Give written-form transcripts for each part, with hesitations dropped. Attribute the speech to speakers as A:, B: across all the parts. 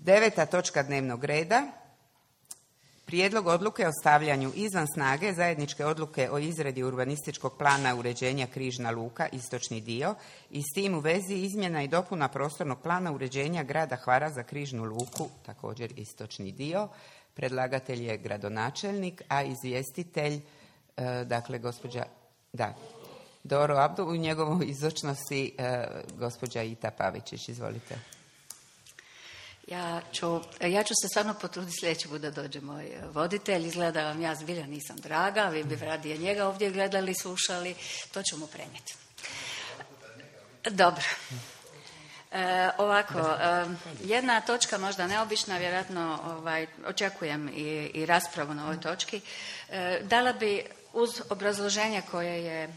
A: 9. točka dnevnog reda. Prijedlog odluke o stavljanju izvan snage zajedničke odluke o izradi urbanističkog plana uređenja Križna luka, istočni dio, i s tim u vezi izmjena i dopuna prostornog plana uređenja grada Hvara za Križnu luku, također istočni dio. Predlagatelj je gradonačelnik, a izvjestitelj, dakle, gospođa Doro Abdu, u njegovoj izočnosti gospođa Ita Pavičić. Izvolite.
B: Ja ću se stvarno potruditi sljedeći put da dođe moj voditelj. Izgleda vam ja zbilja nisam draga, vi bi radije njega ovdje gledali, slušali. To ću mu prenijeti. Dobro. Ovako, jedna točka možda neobična, vjerojatno očekujem i raspravu na ovoj točki. Dala bi uz obrazloženje koje je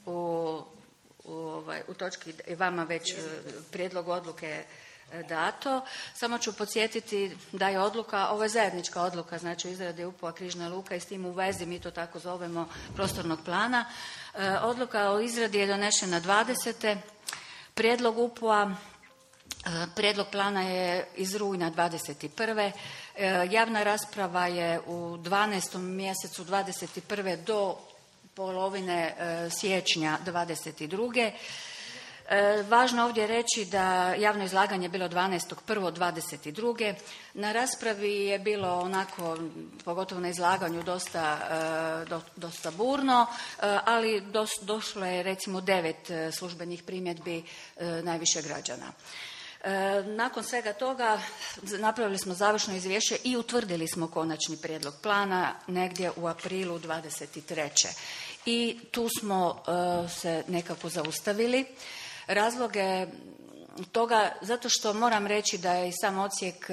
B: u točki vama već prijedlog odluke dato. Samo ću podsjetiti da je odluka, ovo je zajednička odluka, znači o izradi UPU-a Križna luka i s tim u vezi, mi to tako zovemo, prostornog plana. Odluka o izradi je donešena 20. Prijedlog UPU-a, prijedlog plana je iz rujna 21. Javna rasprava je u 12. mjesecu 21. do polovine siječnja 22. Važno ovdje reći da javno izlaganje je bilo 12.1.22. Na raspravi je bilo onako, pogotovo na izlaganju, dosta burno, ali došlo je recimo 9 službenih primjedbi najviše građana. Nakon svega toga napravili smo završno izvješće i utvrdili smo konačni prijedlog plana negdje u aprilu 23. I tu smo se nekako zaustavili. Razloge toga, zato što moram reći da je i sam odsjek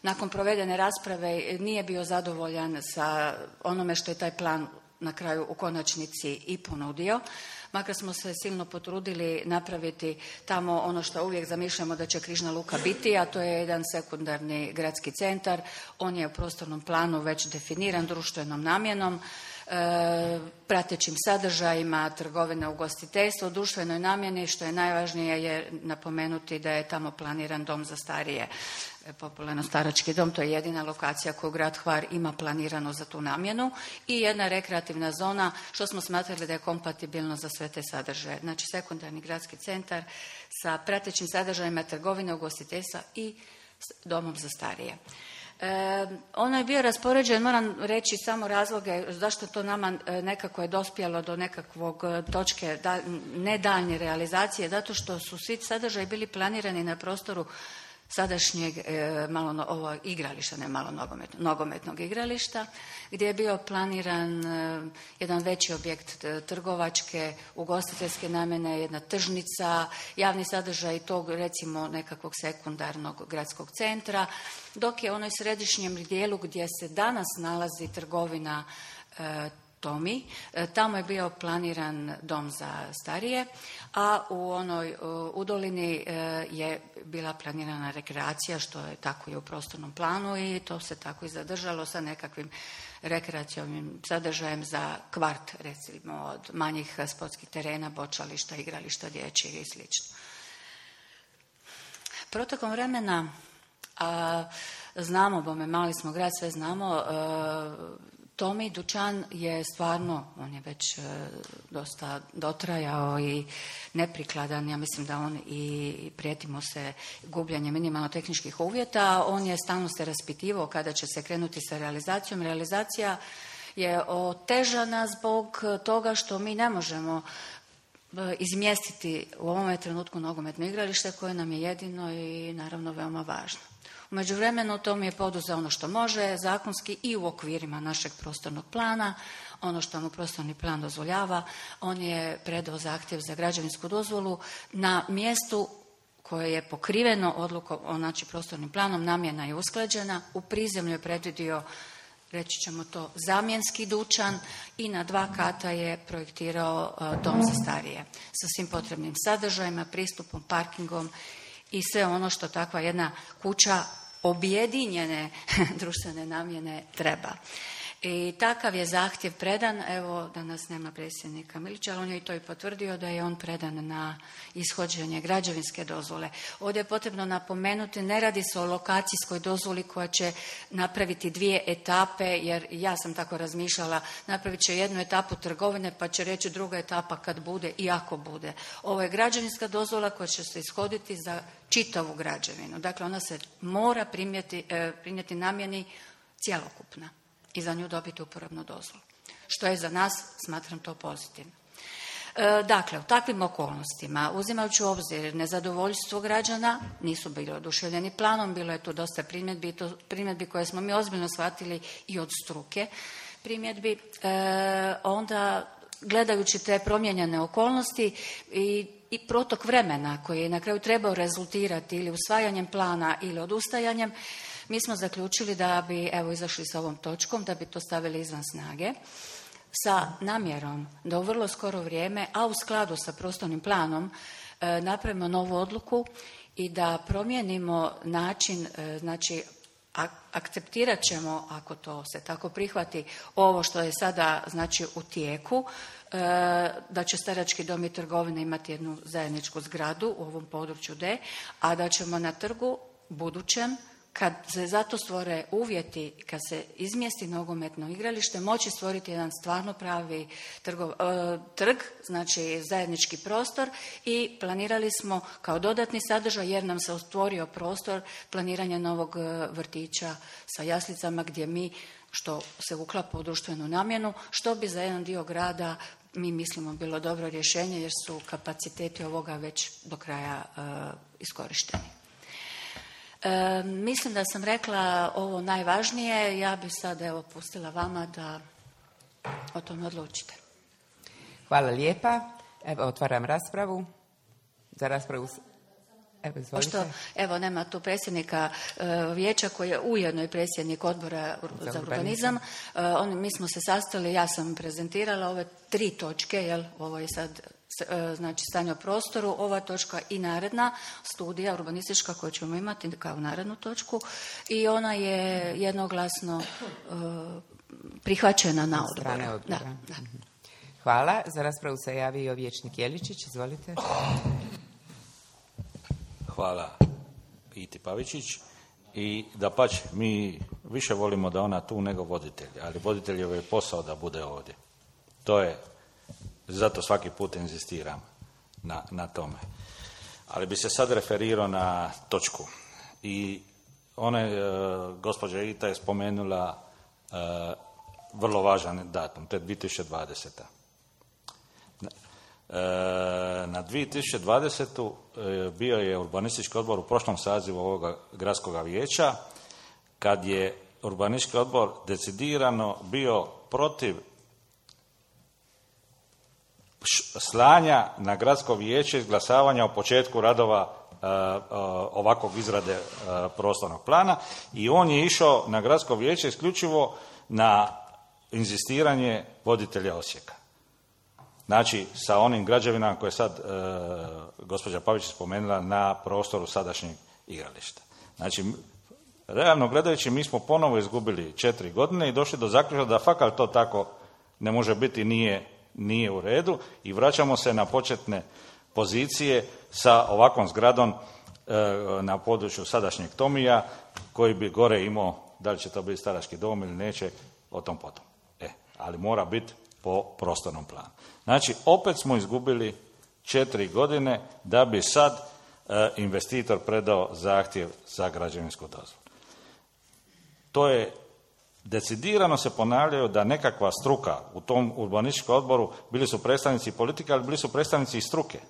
B: nakon provedene rasprave nije bio zadovoljan sa onome što je taj plan na kraju u konačnici i ponudio. Makar smo se silno potrudili napraviti tamo ono što uvijek zamišljamo da će Križna luka biti, a to je jedan sekundarni gradski centar. On je u prostornom planu već definiran društvenom namjenom, pratećim sadržajima, trgovina, ugostiteljstvo, u društvenoj namjeni, što je najvažnije je napomenuti da je tamo planiran dom za starije, popularno starački dom, to je jedina lokacija koju grad Hvar ima planirano za tu namjenu, i jedna rekreativna zona, što smo smatrali da je kompatibilno za sve te sadržaje. Znači sekundarni gradski centar sa pratećim sadržajima trgovine, ugostiteljstva i domom za starije. Ono je bio raspoređen, moram reći samo razloge zašto to nama nekako je dospjelo do nekakvog točke ne daljnje realizacije, zato što su svi sadržaji bili planirani na prostoru sadašnjeg igrališta, ne malo nogometnog igrališta, gdje je bio planiran jedan veći objekt trgovačke, ugostiteljske namjene, jedna tržnica, javni sadržaj tog recimo nekakvog sekundarnog gradskog centra, dok je onoj središnjem dijelu gdje se danas nalazi trgovina Tomi, tamo je bio planiran dom za starije, a u onoj udolini je bila planirana rekreacija, što je tako i u prostornom planu, i to se tako i zadržalo sa nekakvim rekreacijovim sadržajem za kvart, recimo od manjih sportskih terena, bočališta, igrališta dječjeg i sl. Protokom vremena, znamo, bome mali smo grad, sve znamo, Tomi dućan je stvarno, on je već dosta dotrajao i neprikladan. Ja mislim da on i prijetimo se gubljenje minimalno tehničkih uvjeta. On je stalno se raspitivao kada će se krenuti sa realizacijom. Realizacija je otežana zbog toga što mi ne možemo izmjestiti u ovome trenutku nogometno igralište koje nam je jedino i naravno veoma važno. U međuvremenu Tom je poduzeo ono što može, zakonski i u okvirima našeg prostornog plana, ono što mu prostorni plan dozvoljava. On je predao zahtjev za građevinsku dozvolu na mjestu koje je pokriveno odlukom, znači prostornim planom, namjena je usklađena, u prizemlju je predvidio, reći ćemo to, zamjenski dućan i na 2 kata je projektirao dom za starije sa svim potrebnim sadržajima, pristupom, parkingom i sve ono što takva jedna kuća objedinjene društvene namjene treba. I takav je zahtjev predan, evo danas nema predsjednika Milića, ali on je i to i potvrdio da je on predan na ishođenje građevinske dozvole. Ovdje je potrebno napomenuti, ne radi se o lokacijskoj dozvoli koja će napraviti 2 etape, jer ja sam tako razmišljala, napravit će 1 etapu trgovine pa će reći druga etapa kad bude i ako bude. Ovo je građevinska dozvola koja će se ishoditi za čitavu građevinu. Dakle, ona se mora prinijeti namjeni cjelokupna i za nju dobiti uporabnu dozvolu. Što je za nas, smatram to pozitivno. Dakle, u takvim okolnostima, uzimajući u obzir nezadovoljstvo građana, nisu bili oduševljeni planom, bilo je tu dosta primjedbi koje smo mi ozbiljno shvatili i od struke primjedbi, onda gledajući te promijenjene okolnosti i protok vremena koji je na kraju trebao rezultirati ili usvajanjem plana ili odustajanjem, mi smo zaključili da bi, evo izašli sa ovom točkom, da bi to stavili izvan snage, sa namjerom da u vrlo skoro vrijeme, a u skladu sa prostornim planom, napravimo novu odluku i da promijenimo način, znači akceptirat ćemo, ako to se tako prihvati, ovo što je sada znači u tijeku, da će starački dom i trgovine imati jednu zajedničku zgradu u ovom području D, a da ćemo na trgu budućem, kad se zato stvore uvjeti, kad se izmjesti nogometno igralište, moći stvoriti jedan stvarno pravi trg, znači zajednički prostor, i planirali smo kao dodatni sadržaj, jer nam se otvorio prostor planiranja novog vrtića sa jaslicama, gdje mi, što se uklapa u društvenu namjenu, što bi za jedan dio grada mi mislimo bilo dobro rješenje, jer su kapaciteti ovoga već do kraja iskorišteni. Mislim da sam rekla ovo najvažnije, ja bi sad evo pustila vama da o tome odlučite.
A: Hvala lijepa. Evo, otvaram raspravu. Za raspravu... Evo, izvolite.
B: Pošto, evo, nema tu predsjednika vijeća koji je ujedno i predsjednik odbora za urbanizam. Mi smo se sastali, ja sam prezentirala ove 3 točke, jel, ovo je sad znači stanje o prostoru, ova točka i naredna studija urbanistička koju ćemo imati kao narednu točku, i ona je jednoglasno prihvaćena na odboru. Da.
A: Hvala. Za raspravu se javio vijećnik Jeličić. Izvolite.
C: Hvala Iti Pavičić. I dapače, mi više volimo da ona tu nego voditelj, ali voditeljev je posao da bude ovdje. To je, zato svaki put inzistiram na tome. Ali bi se sad referirao na točku. I gospođa Ita je spomenula vrlo važan datum, to je 2020. Na 2020. bio je urbanistički odbor u prošlom sazivu ovoga gradskog vijeća, kad je urbanistički odbor decidirano bio protiv slanja na gradsko vijeće izglasavanja o početku radova ovakvog izrade prostornog plana, i on je išao na gradsko vijeće isključivo na inzistiranje voditelja Osijeka. Znači, sa onim građevinama koje sad gospođa Pavić spomenula na prostoru sadašnjeg igrališta. Znači, realno gledajući, mi smo ponovo izgubili 4 godine i došli do zaključka da fakat to tako ne može biti, nije u redu, i vraćamo se na početne pozicije sa ovakvom zgradom na području sadašnjeg Tomija, koji bi gore imao, da li će to biti starački dom ili neće, o tom potom. Ali mora biti po prostornom planu. Znači, opet smo izgubili 4 godine da bi sad investitor predao zahtjev za građevinsku dozvolu. To je decidirano, se ponavljaju da nekakva struka u tom urbanističkom odboru, bili su predstavnici politike, ali bili su predstavnici i struke,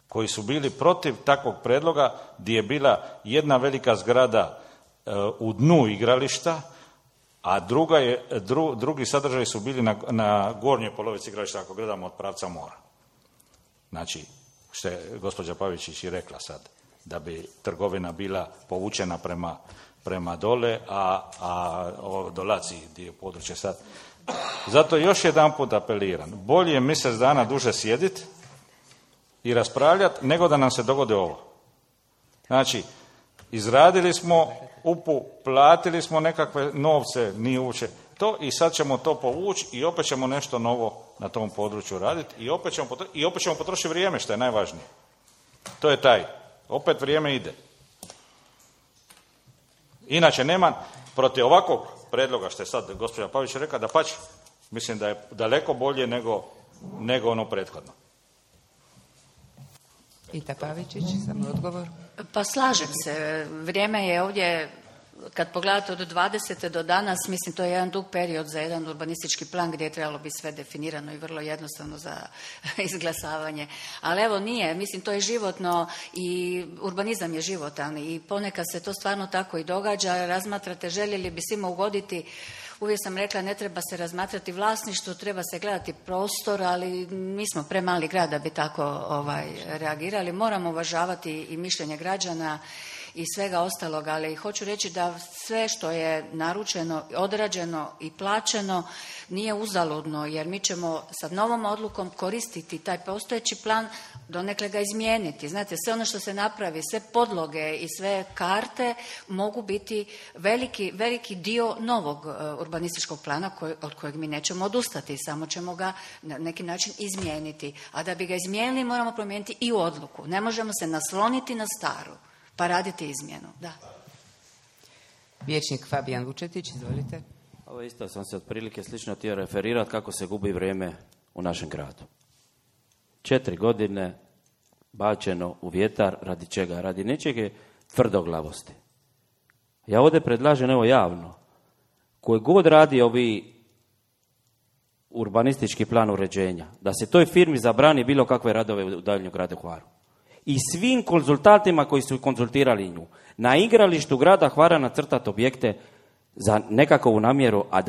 C: koji su bili protiv takvog predloga, gdje je bila jedna velika zgrada u dnu igrališta, a drugi sadržaji su bili na gornjoj polovici igrališta, ako gledamo od pravca mora. Znači, što je gospođa Pavičić i rekla sad, da bi trgovina bila povučena prema dole, a dolazi dio područja sad. Zato još jedan put apeliram, bolje je mjesec dana duže sjediti i raspravljati, nego da nam se dogode ovo. Znači, izradili smo UPU, platili smo nekakve novce, nije uopće to, i sad ćemo to povući i opet ćemo nešto novo na tom području raditi i opet ćemo potrošiti vrijeme, što je najvažnije. To je taj. Opet vrijeme ide. Inače, nema protiv ovakvog predloga, što je sad gospođa Pavić rekla, da pač, mislim da je daleko bolje nego ono prethodno.
A: Ita Pavičić, samo odgovor.
B: Pa slažem se. Vrijeme je ovdje, kad pogledate od 20. do danas, mislim to je jedan dug period za jedan urbanistički plan gdje je trebalo biti sve definirano i vrlo jednostavno za izglasavanje. Ali evo nije, mislim to je životno i urbanizam je životan i ponekad se to stvarno tako i događa. Razmatrate, željeli bi svima ugoditi. Uvijek sam rekla, ne treba se razmatrati vlasništvo, treba se gledati prostor, ali mi smo premali grad da bi tako reagirali. Moramo uvažavati i mišljenje građana i svega ostalog, ali hoću reći da sve što je naručeno, odrađeno i plaćeno nije uzaludno, jer mi ćemo sa novom odlukom koristiti taj postojeći plan, donekle ga izmijeniti. Znate, sve ono što se napravi, sve podloge i sve karte mogu biti veliki dio novog urbanističkog plana od kojeg mi nećemo odustati, samo ćemo ga na neki način izmijeniti. A da bi ga izmijenili moramo promijeniti i odluku. Ne možemo se nasloniti na staru pa raditi izmjenu. Da.
A: Vijećnik Fabijan Vučetić, izvolite.
D: Ovo isto sam se otprilike slično htio referirati kako se gubi vrijeme u našem gradu. 4 godine bačeno u vjetar, radi čega? Radi nečega tvrdoglavosti. Ja ovdje predlažem, evo javno, koji god radi ovi urbanistički plan uređenja, da se toj firmi zabrani bilo kakve radove u daljnjem gradu Hvaru. I svim konzultantima koji su konzultirali nju. Na igralištu grada Hvara nacrtati objekte za nekakvu namjeru, a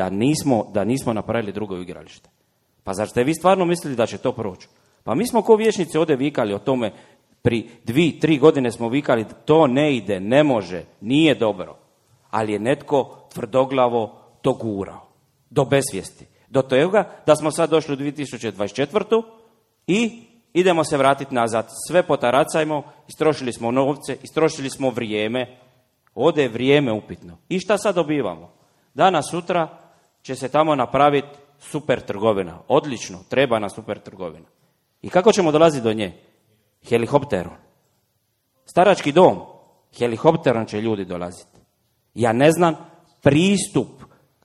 D: da nismo napravili drugo igralište. Pa zar ste vi stvarno mislili da će to proći? Pa mi smo ko vijećnici ovdje vikali o tome, pri 2-3 godine smo vikali to ne ide, ne može, nije dobro. Ali je netko tvrdoglavo to gurao. Do besvijesti. Do toga da smo sad došli u 2024. i idemo se vratiti nazad. Sve potaracajmo, istrošili smo novce, istrošili smo vrijeme. Ovdje je vrijeme upitno. I šta sad dobivamo? Danas, sutra će se tamo napraviti super trgovina. Odlično, treba nam super trgovina. I kako ćemo dolaziti do nje? Helikopterom. Starački dom. Helikopterom će ljudi dolaziti. Ja ne znam pristup.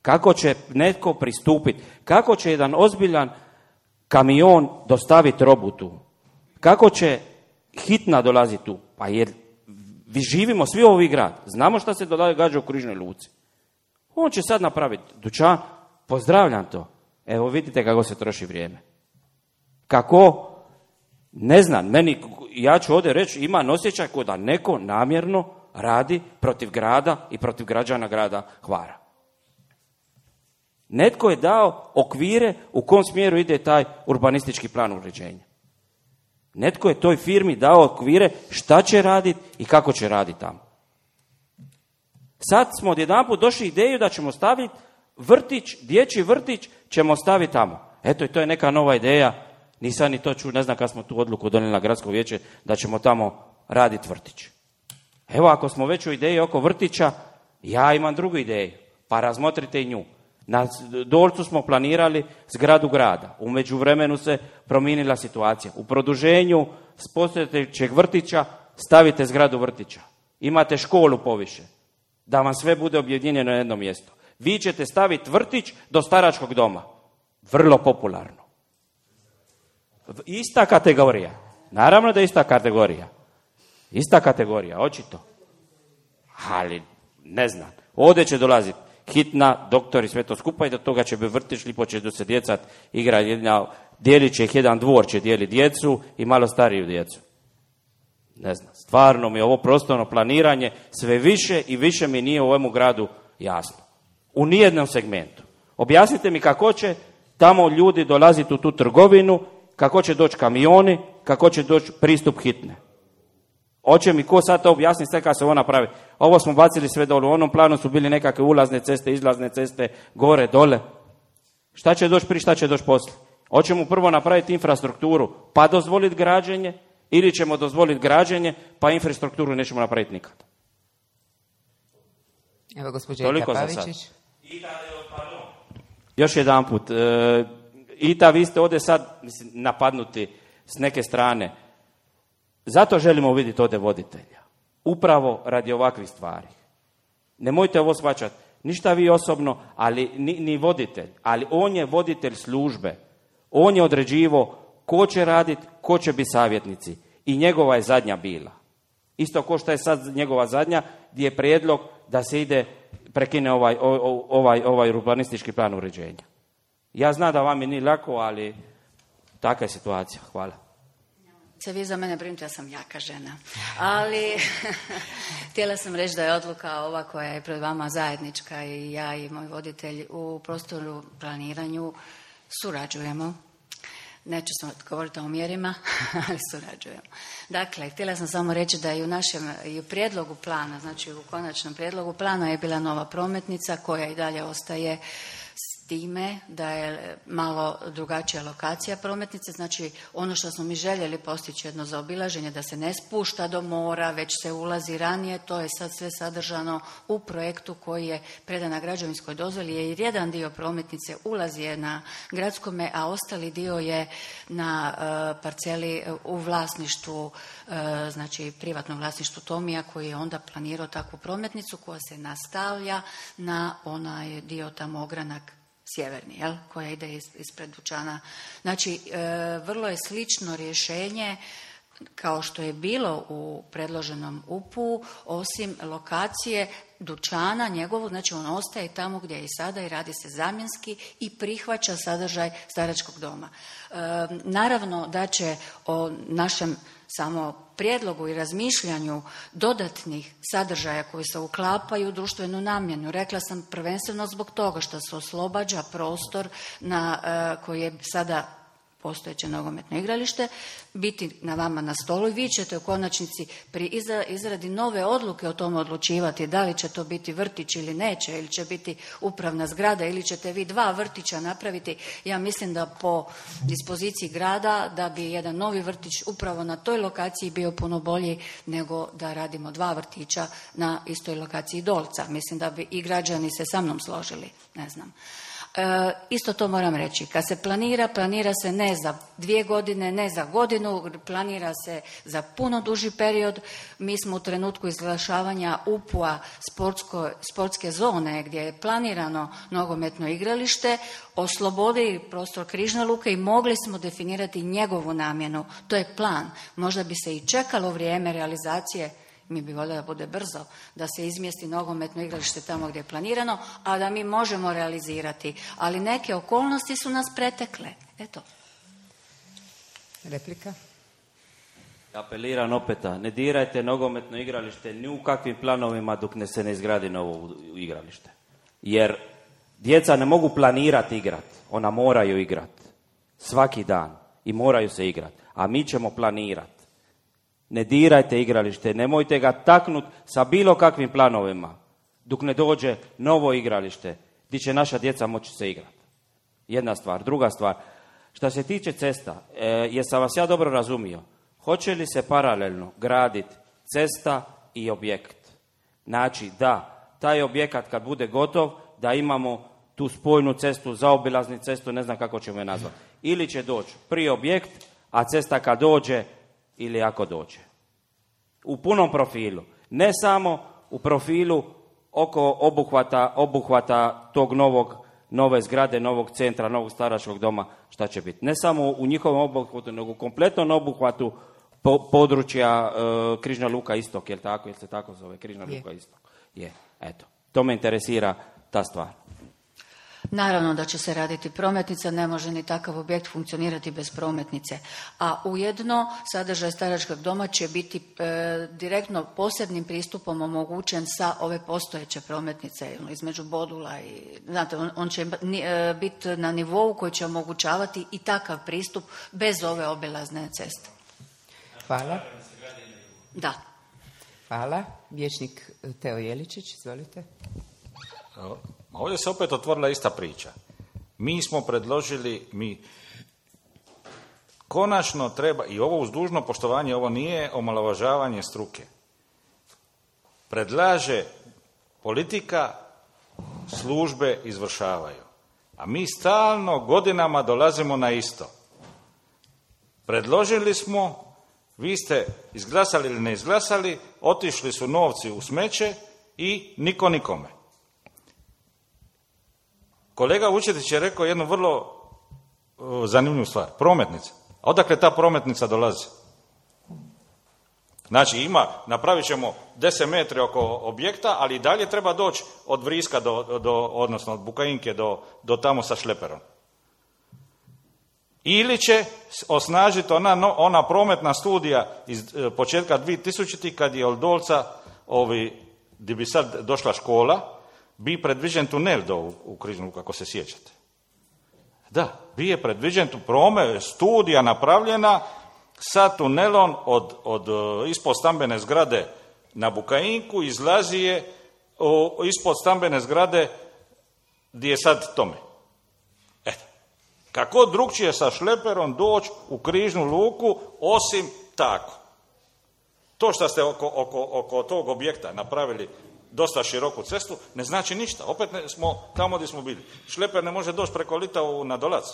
D: Kako će netko pristupiti? Kako će jedan ozbiljan kamion dostaviti robu tu? Kako će hitna dolaziti tu? Pa jer živimo svi u ovih grad. Znamo šta se događa u Križnoj luci. On će sad napraviti dućan. Pozdravljam to. Evo vidite kako se troši vrijeme. Kako? Ne znam. Ja ću ovdje reći, imam osjećaj kao da neko namjerno radi protiv grada i protiv građana grada Hvara. Netko je dao okvire u kom smjeru ide taj urbanistički plan uređenja. Netko je toj firmi dao okvire šta će raditi i kako će raditi tamo. Sad smo odjedanput došli ideju da ćemo staviti vrtić, dječji vrtić ćemo staviti tamo. Eto, i to je neka nova ideja. Nisam ni to čuo, ne znam kad smo tu odluku donijeli na gradsko vijeće da ćemo tamo raditi vrtić. Evo, ako smo već u ideji oko vrtića, ja imam drugu ideju, pa razmotrite i nju. Na Dolcu smo planirali zgradu grada. U međuvremenu se promijenila situacija. U produženju s postojećeg vrtića stavite zgradu vrtića. Imate školu poviše. Da vam sve bude objedinjeno na jedno mjesto. Vi ćete staviti vrtić do staračkog doma. Vrlo popularno. Ista kategorija. Naravno da je ista kategorija. Ista kategorija, očito. Ali, ne znam. Ovdje će dolaziti hitna, doktor i sve to skupa i do toga će biti vrtić, lipo će do se djecat igra dijelit će ih jedan dvor, će dijeli djecu i malo stariju djecu. Ne znam, stvarno mi je ovo prostorno planiranje sve više i više mi nije u ovome gradu jasno. U nijednom segmentu. Objasnite mi kako će tamo ljudi dolaziti u tu trgovinu, kako će doći kamioni, kako će doći pristup hitne. Hoće mi ko sad to objasniti sve kad se ovo napravi? Ovo smo bacili sve dole. U onom planu su bili nekakve ulazne ceste, izlazne ceste, gore, dole. Šta će doći prije, šta će doći poslije? Hoćemo prvo napraviti infrastrukturu pa dozvoliti građenje ili ćemo dozvoliti građenje pa infrastrukturu nećemo napraviti nikad?
A: Evo, gospođa
D: Toliko
A: Ita
D: za sad.
A: Pavičić.
D: Još jedanput, Ita, vi ste ovdje sad napadnuti s neke strane. Zato želimo vidjeti ovdje voditelja. Upravo radi ovakvih stvari. Nemojte ovo shvaćati. Ništa vi osobno, ali ni voditelj. Ali on je voditelj službe. On je određivo ko će raditi, ko će biti savjetnici. I njegova je zadnja bila. Isto ko što je sad njegova zadnja, gdje je prijedlog da se ide, prekine ovaj urbanistički plan uređenja. Ja znam da vam je nije lako, ali takva je situacija. Hvala.
B: Se vi za mene brinite, ja sam jaka žena. Ali htjela sam reći da je odluka ova koja je pred vama zajednička i ja i moj voditelj u prostoru planiranju surađujemo. Neću govoriti o mjerima, ali surađujemo. Dakle, htjela sam samo reći da i u našem i u prijedlogu plana, znači u konačnom prijedlogu plana je bila nova prometnica koja i dalje ostaje s time da je malo drugačija lokacija prometnice, znači ono što smo mi željeli postići jedno zaobilaženje, da se ne spušta do mora, već se ulazi ranije, to je sad sve sadržano u projektu koji je predan na građevinskoj dozvoli, jer jedan dio prometnice ulazi je na gradskome, a ostali dio je na parceli u vlasništvu, znači privatnom vlasništvu Tomija, koji je onda planirao takvu prometnicu koja se nastavlja na onaj dio tamo ogranak sjeverni, koja ide ispred dućana. Znači, vrlo je slično rješenje kao što je bilo u predloženom UP-u, osim lokacije dućana njegovog, znači on ostaje tamo gdje je i sada i radi se zamjenski i prihvaća sadržaj staračkog doma. Naravno da će o našem samo prijedlogu i razmišljanju dodatnih sadržaja koji se uklapaju u društvenu namjenu. Rekla sam prvenstveno zbog toga što se oslobađa prostor koji je sada postojeće nogometno igralište, biti na vama na stolu i vi ćete u konačnici pri izradi nove odluke o tome odlučivati da li će to biti vrtić ili neće, ili će biti upravna zgrada, ili ćete vi 2 vrtića napraviti. Ja mislim da po dispoziciji grada da bi jedan novi vrtić upravo na toj lokaciji bio puno bolji nego da radimo 2 vrtića na istoj lokaciji Dolca. Mislim da bi i građani se sa mnom složili, ne znam. Isto to moram reći, kad se planira se ne za 2 godine, ne za godinu, planira se za puno duži period. Mi smo u trenutku izglašavanja UP-a sportske zone gdje je planirano nogometno igralište, oslobodili prostor Križne luke i mogli smo definirati njegovu namjenu. To je plan. Možda bi se i čekalo vrijeme realizacije, mi bi voljeli da bude brzo, da se izmjesti nogometno igralište tamo gdje je planirano, a da mi možemo realizirati. Ali neke okolnosti su nas pretekle. Eto.
A: Replika?
D: Apeliram opet, ne dirajte nogometno igralište ni u kakvim planovima dok se ne izgradi novo igralište. Jer djeca ne mogu planirati igrati, ona moraju igrati. Svaki dan. I moraju se igrati. A mi ćemo planirati. Ne dirajte igralište, nemojte ga taknuti sa bilo kakvim planovima dok ne dođe novo igralište gdje će naša djeca moći se igrati. Jedna stvar. Druga stvar, što se tiče cesta, jesam vas ja dobro razumio, hoće li se paralelno graditi cesta i objekt? Znači da, taj objekat kad bude gotov, da imamo tu spojnu cestu, zaobilaznu cestu, ne znam kako ćemo je nazvati. Ili će doći prije objekt, a cesta kad dođe, ili ako dođe. U punom profilu. Ne samo u profilu oko obuhvata tog nove zgrade, novog centra, novog staračkog doma, šta će biti. Ne samo u njihovom obuhvatu, nego u kompletnom obuhvatu područja Križna luka istok, jel tako? Jel se tako zove? Križna luka istok. Je, eto. To me interesira ta stvar.
B: Naravno da će se raditi prometnica, ne može ni takav objekt funkcionirati bez prometnice. A ujedno sadržaj staračkog doma će biti direktno posebnim pristupom omogućen sa ove postojeće prometnice između Bodula i, znate, on će biti na nivou koji će omogućavati i takav pristup bez ove obilazne ceste.
A: Hvala.
B: Da.
A: Hvala. Vijećnik Teo Jeličić, izvolite.
C: Ovdje se opet otvorila ista priča. Mi smo predložili, konačno treba, i ovo uz dužno poštovanje, ovo nije omalovažavanje struke. Predlaže politika službe izvršavaju. A mi stalno godinama dolazimo na isto. Predložili smo, vi ste izglasali ili ne izglasali, otišli su novci u smeće i niko nikome. Kolega Vučetić je rekao jednu vrlo zanimljivu stvar. Prometnica. A odakle ta prometnica dolazi? Znači napravit ćemo 10 metri oko objekta, ali i dalje treba doći od Vriska odnosno od Bukajinke do tamo sa šleperom. Ili će osnažiti ona prometna studija iz početka 2000. kad je od Dolca, gdje bi sad došla škola, bi predviđen tunel u Križnu luku, ako se sjećate. Da, bi je predviđen studija napravljena sa tunelom od ispod stambene zgrade na Bukajinku, izlazi je ispod stambene zgrade gdje je sad Tome. Eto, kako drugčije sa šleperom doći u Križnu luku osim tako? To što ste oko tog objekta napravili dosta široku cestu, ne znači ništa. Opet smo tamo gdje smo bili. Šleper ne može doći preko Litau na Dolac.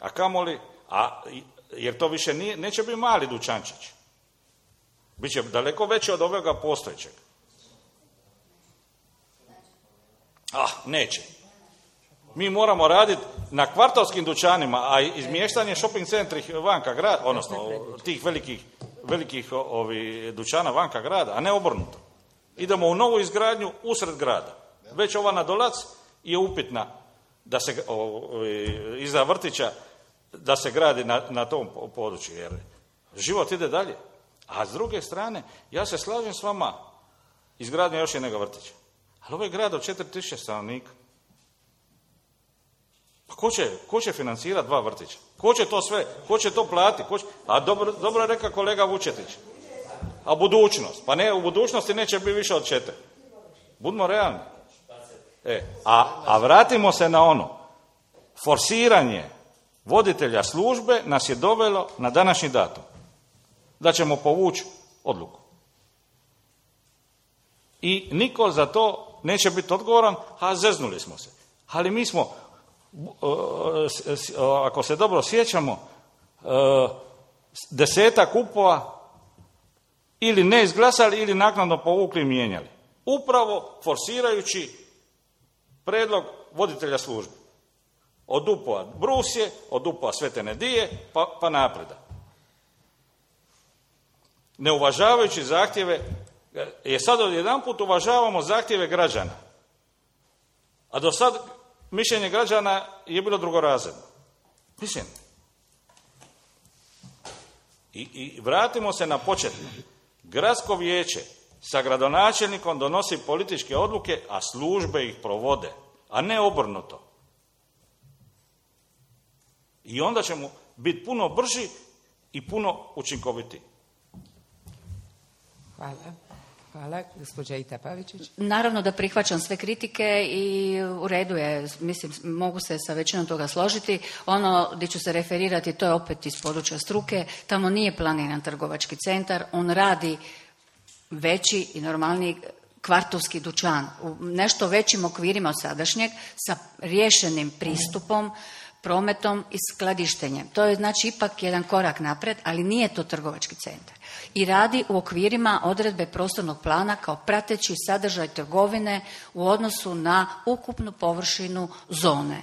C: A kamoli, jer to više neće biti mali dućančić. Biće daleko veće od ovoga postojećeg. Neće. Mi moramo raditi na kvartovskim dućanima, a izmještanje shopping centri vanka grada, odnosno tih velikih dućana vanka grada, a ne obrnuto. Idemo u novu izgradnju usred grada. Već ova na Dolac je upitna da se iza vrtića da se gradi na tom području, jer život ide dalje. A s druge strane, ja se slažem s vama, izgradnja još jednog vrtića. Ali ovo je grad od 4000 stanovnika. Pa ko će financirati 2 vrtića? Ko će to sve? Ko će to platiti? A dobro je rekao kolega Vučetić. A budućnost? Pa ne, u budućnosti neće biti više od 4. Budimo realni. A vratimo se na ono. Forsiranje voditelja službe nas je dovelo na današnji datum. Da ćemo povući odluku. I niko za to neće biti odgovoran, a zeznuli smo se. Ali mi smo, ako se dobro sjećamo, 10 kupova ili ne izglasali ili naknadno povukli i mijenjali. Upravo forsirajući predlog voditelja službe. Od UPO-a Brusje, od UPO-a Svete Nedije, pa napreda. Ne uvažavajući zahtjeve, jer sad odjedanput uvažavamo zahtjeve građana. A do sad mišljenje građana je bilo drugorazredno. Mislim. I vratimo se na početno. Gradsko vijeće sa gradonačelnikom donosi političke odluke, a službe ih provode, a ne obrnuto. I onda ćemo biti puno brži i puno učinkovitiji.
A: Hvala. Gospođa Ita Pavičić.
B: Naravno da prihvaćam sve kritike i u redu je, mislim, mogu se sa većinom toga složiti. Ono gdje ću se referirati, to je opet iz područja struke, tamo nije planiran trgovački centar, on radi veći i normalniji kvartovski dućan u nešto većim okvirima od sadašnjeg, sa riješenim pristupom, prometom i skladištenjem. To je znači ipak jedan korak naprijed, ali nije to trgovački centar. I radi u okvirima odredbe prostornog plana kao prateći sadržaj trgovine u odnosu na ukupnu površinu zone.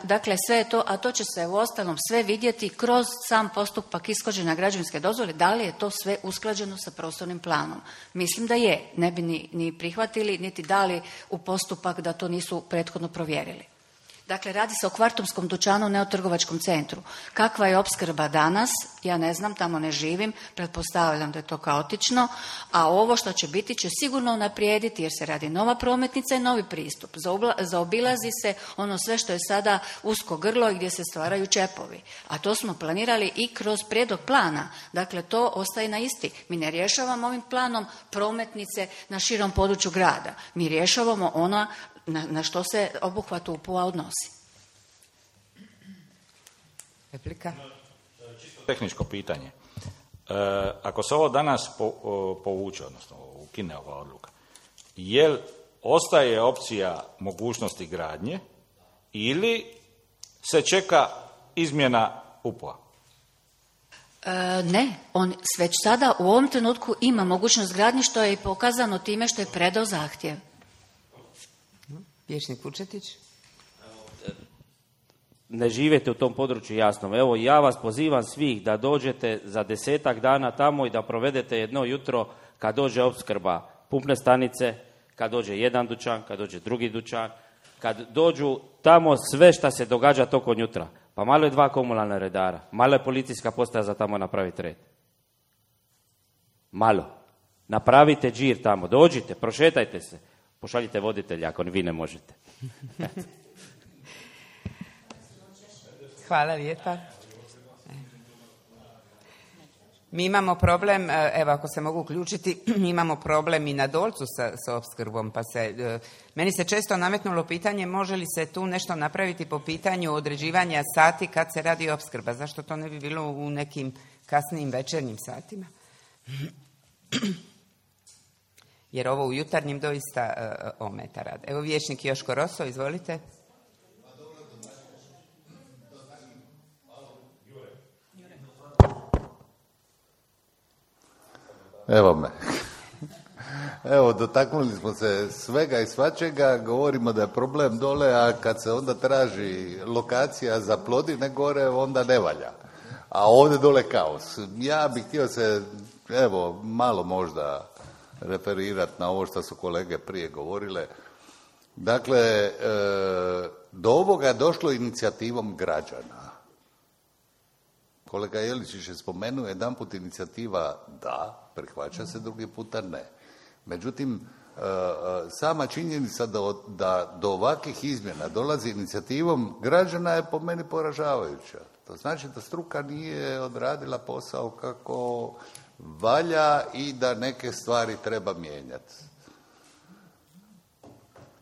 B: Dakle, sve je to, a to će se u ostalom sve vidjeti kroz sam postupak ishođenja građevinske dozvole, da li je to sve usklađeno sa prostornim planom. Mislim da je, ne bi ni prihvatili, niti dali u postupak da to nisu prethodno provjerili. Dakle, radi se o kvartovskom dućanu, ne o trgovačkom centru. Kakva je opskrba danas? Ja ne znam, tamo ne živim, pretpostavljam da je to kaotično, a ovo što će biti će sigurno unaprijediti jer se radi nova prometnica i novi pristup. Zaobilazi se ono sve što je sada usko grlo i gdje se stvaraju čepovi. A to smo planirali i kroz prijedlog plana. Dakle, to ostaje na isti. Mi ne rješavamo ovim planom prometnice na širom području grada. Mi rješavamo ono na što se obuhvat UPU-a odnosi.
A: Replika?
C: Čisto tehničko pitanje. Ako se ovo danas povuče, odnosno ukine ova odluka, je li ostaje opcija mogućnosti gradnje ili se čeka izmjena UPO-a?
B: Ne, on već sada u ovom trenutku ima mogućnost gradnje, što je i pokazano time što je predao zahtjev.
A: Vijećnik Vučetić.
D: Ne živite u tom području, jasno. Evo, ja vas pozivam svih da dođete za 10 dana tamo i da provedete jedno jutro kad dođe opskrba pumpne stanice, kad dođe jedan dućan, kad dođe drugi dućan, kad dođu tamo sve šta se događa tokom jutra. Pa malo je 2 komunalna redara, malo je policijska postaja za tamo napraviti red. Malo. Napravite džir tamo, dođite, prošetajte se, pošaljite voditelja ako vi ne možete.
A: Hvala lijepa. Mi imamo problem, evo ako se mogu uključiti, mi imamo problem i na Dolcu sa opskrbom, pa meni se često nametnulo pitanje može li se tu nešto napraviti po pitanju određivanja sati kad se radi opskrba, zašto to ne bi bilo u nekim kasnijim večernjim satima? Jer ovo u jutarnjim doista ometa rad. Evo vijećnik Joško Roso, izvolite.
E: Evo me. Evo, dotaknuli smo se svega i svačega, govorimo da je problem dole, a kad se onda traži lokacija za Plodine gore, onda ne valja. A ovdje dole kaos. Ja bih htio se, evo, malo možda referirati na ovo što su kolege prije govorile. Dakle, do ovoga je došlo inicijativom građana. Kolega Jeličić je spomenuo jedanput inicijativa da, prihvaća se, drugi puta ne. Međutim, sama činjenica da do ovakvih izmjena dolazi inicijativom građana je po meni poražavajuća. To znači da struka nije odradila posao kako valja i da neke stvari treba mijenjati.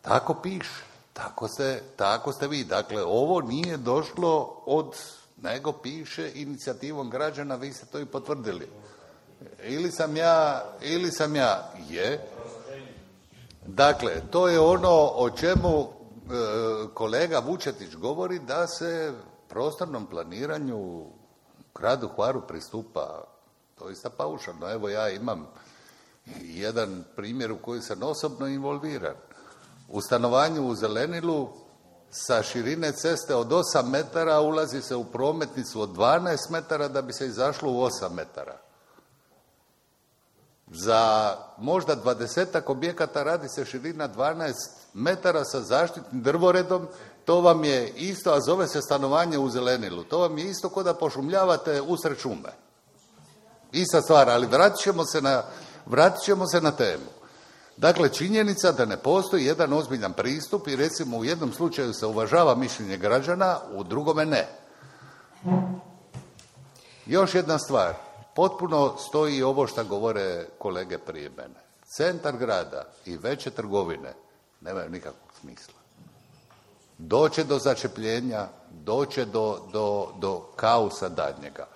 E: Tako piše, tako ste vi. Dakle, ovo nije došlo nego piše inicijativom građana, vi ste to i potvrdili. Ili sam ja, je. Dakle, to je ono o čemu kolega Vučetić govori, da se prostornom planiranju u gradu Hvaru pristupa doista paušalno. Evo, ja imam jedan primjer u koji sam osobno involviran. U stanovanju u Zelenilu sa širine ceste od 8 metara ulazi se u prometnicu od 12 metara da bi se izašlo u 8 metara. Za možda 20-ak objekata radi se širina 12 metara sa zaštitnim drvoredom, to vam je isto, a zove se stanovanje u Zelenilu. To vam je isto kao da pošumljavate usred šume. Ista stvar, ali vratit ćemo se na temu. Dakle, činjenica da ne postoji jedan ozbiljan pristup i recimo u jednom slučaju se uvažava mišljenje građana, u drugome ne. Još jedna stvar, potpuno stoji ovo što govore kolege prije mene. Centar grada i veće trgovine nemaju nikakvog smisla. Doće do začepljenja, doće do kaosa daljnjega.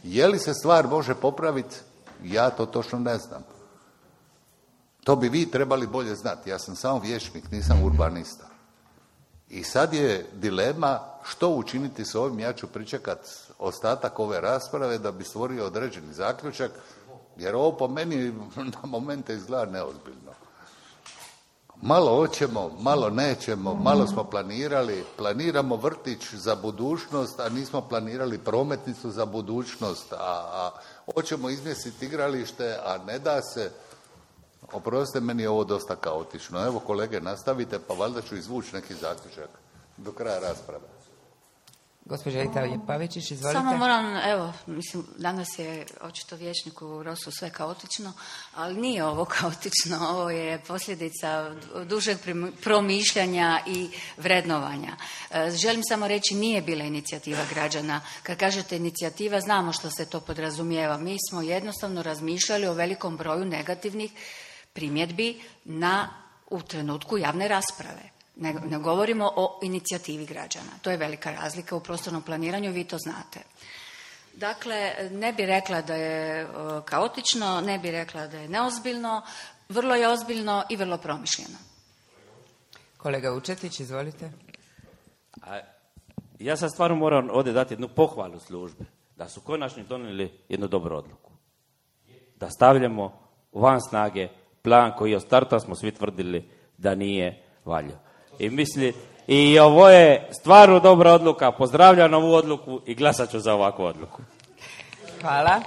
E: Je li se stvar može popraviti? Ja to točno ne znam. To bi vi trebali bolje znati. Ja sam samo vijećnik, nisam urbanista. I sad je dilema što učiniti s ovim. Ja ću pričekati ostatak ove rasprave da bi stvorio određeni zaključak, jer ovo po meni na momente izgleda neozbiljno. Malo hoćemo, malo nećemo, malo smo planiramo vrtić za budućnost, a nismo planirali prometnicu za budućnost, a hoćemo izmjestiti igralište, a ne da se. Oprostite, meni je ovo dosta kaotično. Evo, kolege, nastavite, pa valjda ću izvući neki zaključak do kraja rasprave.
A: Gospođa Rita Ljepavičić, izvolite.
B: Samo moram, evo, mislim, danas je očito vijećniku Rosu sve kaotično, ali nije ovo kaotično, ovo je posljedica dužeg promišljanja i vrednovanja. Želim samo reći, nije bila inicijativa građana. Kad kažete inicijativa, znamo što se to podrazumijeva. Mi smo jednostavno razmišljali o velikom broju negativnih primjedbi u trenutku javne rasprave. Ne govorimo o inicijativi građana. To je velika razlika u prostornom planiranju, vi to znate. Dakle, ne bi rekla da je kaotično, ne bi rekla da je neozbiljno, vrlo je ozbiljno i vrlo promišljeno.
A: Kolega Vučetić, izvolite.
D: Ja sad stvarno moram ovdje dati jednu pohvalu službe, da su konačno donijeli jednu dobru odluku. Da stavljamo van snage plan koji od starta smo svi tvrdili da nije valjao. I ovo je stvarno dobra odluka, pozdravljam ovu odluku i glasat ću za ovakvu odluku.
A: Hvala.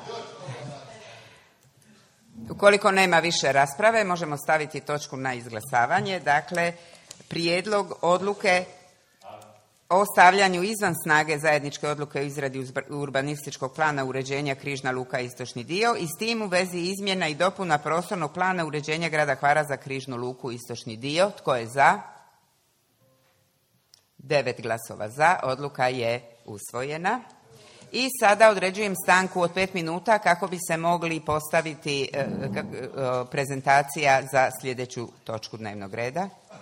A: Ukoliko nema više rasprave, možemo staviti točku na izglasavanje. Dakle, prijedlog odluke o stavljanju izvan snage zajedničke odluke o izradi urbanističkog plana uređenja Križna luka istočni dio i s tim u vezi izmjena i dopuna prostornog plana uređenja grada Hvara za Križnu luku istočni dio. Tko je za? 9 glasova za. Odluka je usvojena. I sada određujem stanku od 5 minuta kako bi se mogli postaviti prezentacija za sljedeću točku dnevnog reda.